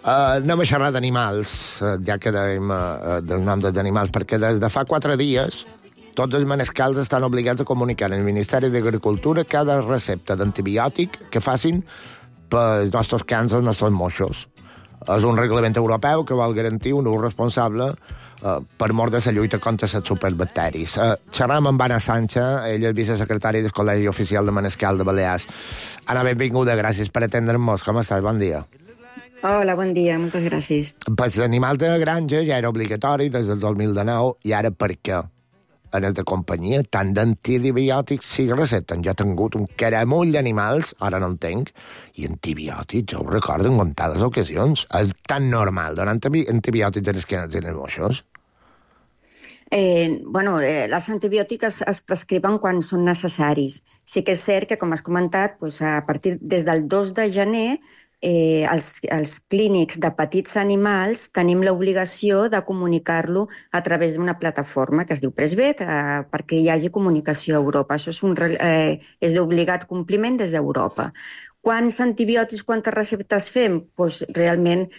Anem a xerrar d'animals, ja que dèiem del nom dels animals, perquè des de fa 4 dies tots els manescals estan obligats a comunicar al Ministeri d'Agricultura cada recepta d'antibiòtic que facin pels nostres cans, els nostres moixos. És un reglament europeu que vol garantir un ús responsable per mort de la lluita contra les superbacteris. Xerram amb Anna Sancha, ella és vicesecretària del Col·legi Oficial de Manescal de Balears. Anna, benvinguda, gràcies per atendre'ns. Com estàs? Bon dia. Hola, bon dia, moltes gràcies. Pues l'animal de granja ja era obligatori des del 2019, i ara per què? En el de companyia, tant d'antibiòtics si receten. Jo he tingut un caramull d'animals, ara no en tinc, i antibiòtics, jo ho recordo en comptades ocasions. És tan normal donar antibiòtics en els canets i en els moixos? Les antibiòtics es prescriuen quan són necessaris. Sí que és cert que, com has comentat, a partir des del 2 de gener els clínics de petits animals tenim l'obligació de comunicar-lo a través d'una plataforma que es diu Pressvet perquè hi hagi comunicació a Europa. Això és d'obligat compliment des d'Europa. Quants antibiòtics, quantes receptes fem? Realment,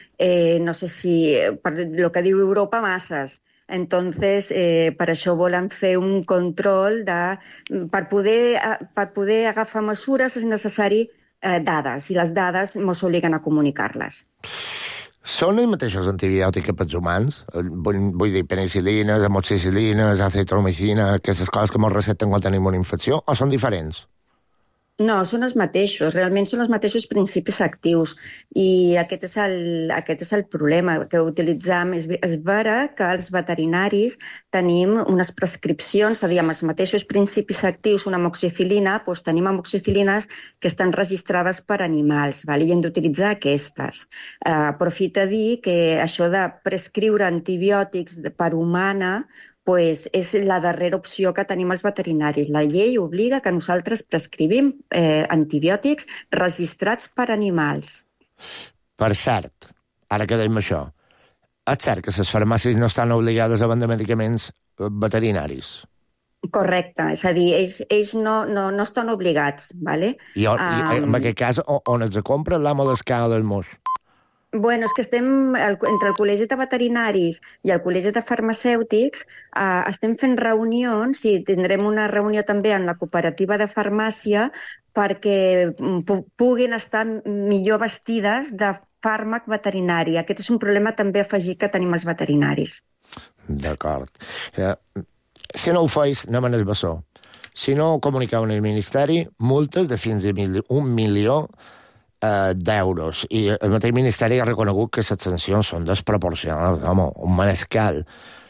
no sé si, per el que diu Europa, masses. Entonces, per això volen fer un control per poder agafar mesures és necessari dades, i les dades ens obliguen a comunicar-les. Són els mateixos antibiòtics que pels humans? Vull dir, penicil·lines, amoxicil·lines, azitromicina, aquestes coses que ens receten quan tenim una infecció, o són diferents? No, són els mateixos, realment són els mateixos principis actius, i aquest és el problema que utilitzam. És vera que els veterinaris tenim unes prescripcions, és a dir, amb els mateixos principis actius, una amoxicil·lina, tenim amoxicil·lines que estan registrades per animals, i hem d'utilitzar aquestes. Aprofita a dir que això de prescriure antibiòtics per humana és la darrera opció que tenim els veterinaris. La llei obliga que nosaltres prescrivim antibiòtics registrats per animals. Per cert, ara que dèiem això, és cert que les farmàcies no estan obligades a vendre medicaments veterinaris? Correcte, és a dir, ells no estan obligats, ¿vale? I en aquest cas, on els compra l'amo d'escala del moix? És que estem entre el Col·legi de Veterinaris i el Col·legi de Farmacèutics, estem fent reunions i tindrem una reunió també en la cooperativa de farmàcia perquè puguin estar millor vestides de fàrmac veterinari. Aquest és un problema també afegit que tenim els veterinaris. D'acord. Si no ho feis, anem en el bessó. Si no ho comuniqueu en el Ministeri, multes de fins a 1 milió d'euros. I el mateix Ministeri ha reconegut que les sancions són desproporcionades. Home, un manescal,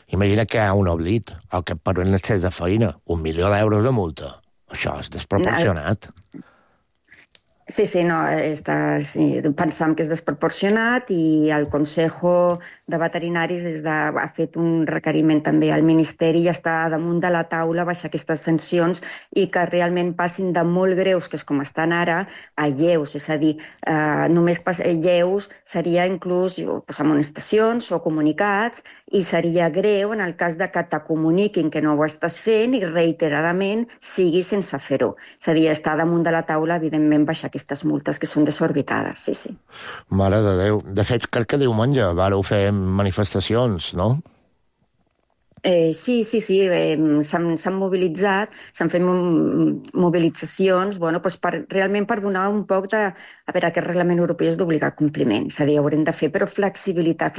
imagina que hi ha un oblit o que per un excés de feina, 1 milió d'euros de multa. Això és desproporcionat. Sí, pensam que és desproporcionat, i el Consejo de Veterinaris ha fet un requeriment també al Ministeri i està damunt de la taula baixar aquestes sancions i que realment passin de molt greus, que és com estan ara, a lleus. És a dir, només lleus seria inclús amonestacions o comunicats, i seria greu en el cas de que te comuniquin que no ho estàs fent i reiteradament sigui sense fer-ho. És a dir, està damunt de la taula, evidentment, baixar aquestes multes que són desorbitades, sí. Mare de Déu. De fet, crec que diumenge vareu fer manifestacions, no? Sí, s'han mobilitzat, s'han fet mobilitzacions, realment per donar un poc de... A veure, aquest reglament europeu és d'obligat compliment, és a dir, haurem de fer, però flexibilitat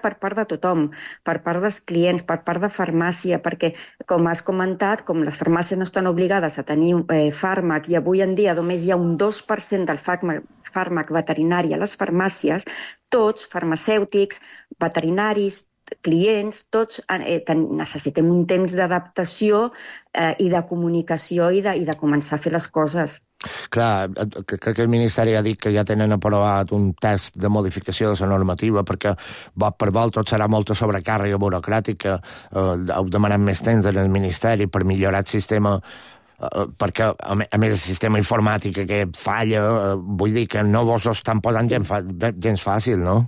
per part de tothom, per part dels clients, per part de farmàcia, perquè, com has comentat, com les farmàcies no estan obligades a tenir fàrmac, i avui en dia només hi ha un 2% del fàrmac veterinari a les farmàcies, tots, farmacèutics, veterinaris, clients, tots necessitem un temps d'adaptació i de comunicació i de començar a fer les coses. Clar, crec que el Ministeri ha dit que ja tenen aprovat un text de modificació de la normativa perquè per vol tot serà molta sobrecàrrega burocràtica, heu demanat més temps en el Ministeri per millorar el sistema, perquè a més el sistema informàtic que falla, vull dir que no vos ho estan posant gens fàcil, no?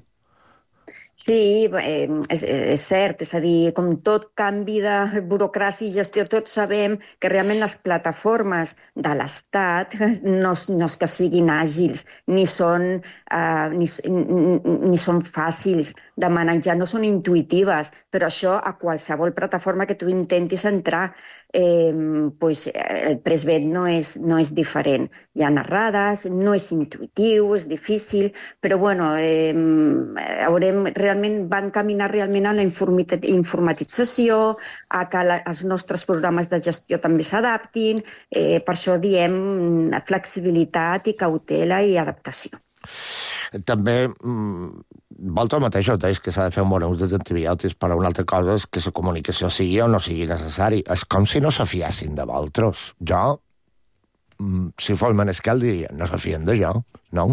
Sí, és cert, és a dir, com tot canvi de burocràcia i gestió, tots sabem que realment les plataformes de l'Estat no és que siguin àgils, ni són fàcils de manejar, no són intuïtives, però això a qualsevol plataforma que tu intentis entrar, el Pressbet no és diferent. Hi ha errades, no és intuïtiu, és difícil, però bueno, realment van caminar realment a la informatització, a que els nostres programes de gestió també s'adaptin, per això diem flexibilitat i cautela i adaptació. També, vosaltres mateixos deies que s'ha de fer un bon ús dels antibiòtics, però una altra cosa és que la comunicació sigui o no sigui necessari. És com si no se fiessin de vosaltres. Jo, si fos Manescal, diria, no se fien de jo, no?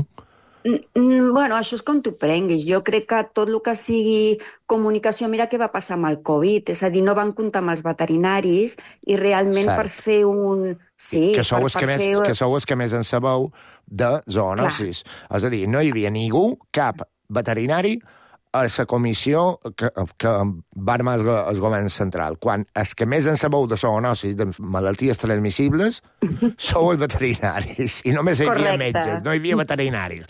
Bueno, això és com tu prenguis. Jo crec que tot el que sigui comunicació, mira què va passar amb el Covid, és a dir, no van comptar amb els veterinaris i realment per fer un... Sí, que sou els que més en sabeu de zoonosis. És a dir, no hi havia ningú, cap veterinari, a la comissió que va armar el govern central. Quan els que més en sabeu de zoonosis, de malalties transmissibles, sou els veterinaris. I només hi havia metges, no hi havia veterinaris.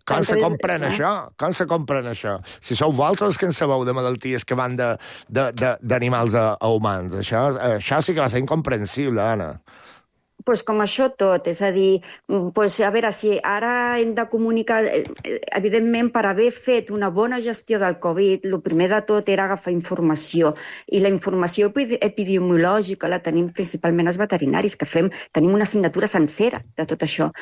Com se compren això? Com se compren això? Si sou vosaltres que en sabeu de malalties que van d'animals a humans, això sí que va ser incomprensible, Anna. Pues com això tot, és a dir, a veure, si ara hem de comunicar, evidentment, per haver fet una bona gestió del Covid, el primer de tot era agafar informació, i la informació epidemiològica la tenim principalment els veterinaris, que tenim una assignatura sencera de tot això.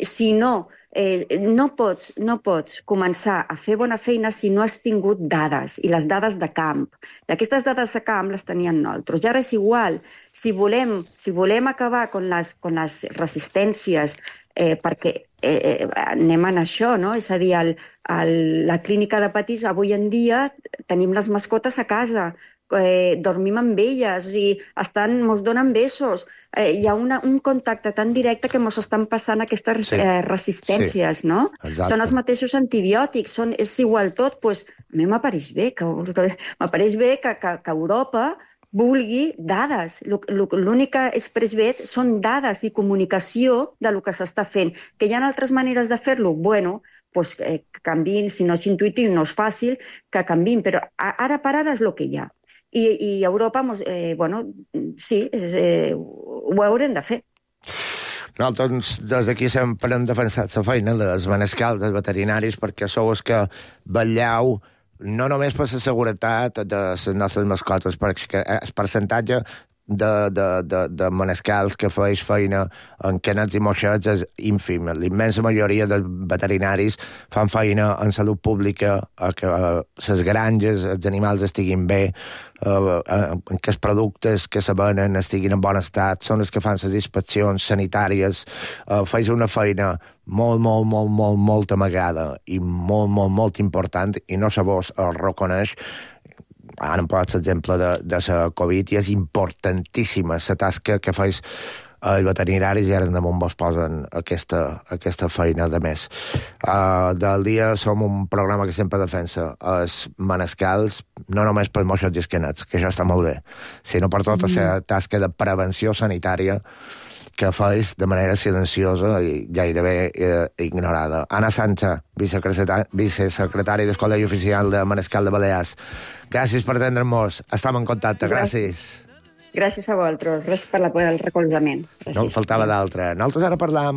Si no pots començar a fer bona feina si no has tingut dades, i les dades de camp. I aquestes dades de camp les tenien nosaltres. I ara és igual, si volem acabar amb les resistències, perquè anem en això, no? És a dir, la clínica de petits, avui en dia, tenim les mascotes a casa, dormim amb elles, mos donen besos. Hi ha un contacte tan directe que mos estan passant aquestes resistències, no? Exacte. Són els mateixos antibiòtics, és igual tot. A mi m'apareix bé que Europa vulgui dades. L'únic que és Pressbet són dades i comunicació del que s'està fent. Que hi ha altres maneres de fer-lo? Bueno, canviïn, si no és intuïtiu, no és fàcil, que canviïn, però ara per ara és el que hi ha. I Europa, sí, ho haurem de fer. Nosaltres des d'aquí sempre hem defensat la feina dels manescals, dels veterinaris, perquè sou els que vetlleu no només per la seguretat de les nostres mascotes, perquè el percentatge de manescals que feix feina en canets i moixets és ínfim. L'immensa majoria dels veterinaris fan feina en salut pública, que les granges, els animals estiguin bé, que els productes que se venen estiguin en bon estat, són els que fan les inspeccions sanitàries. Feix una feina molt amagada i molt important, i no se vos el reconeix. Ara em pots l'exemple de la Covid, i és importantíssima la tasca que fais els veterinaris, i ara damunt vos posen aquesta feina de més. Del dia som un programa que sempre defensa els manescals, no només per moixos i esquenets, que això està molt bé, sinó per tota la tasca de prevenció sanitària que fais de manera silenciosa i gairebé ignorada. Anna Sancha, vicesecretària del Col·legi Oficial de Manescal de Balears. Gràcies per atendre'ns. Estem en contacte. Gràcies. Gràcies a vosaltres. Gràcies per el recolzament. No en faltava d'altre. Nosaltres ara parlam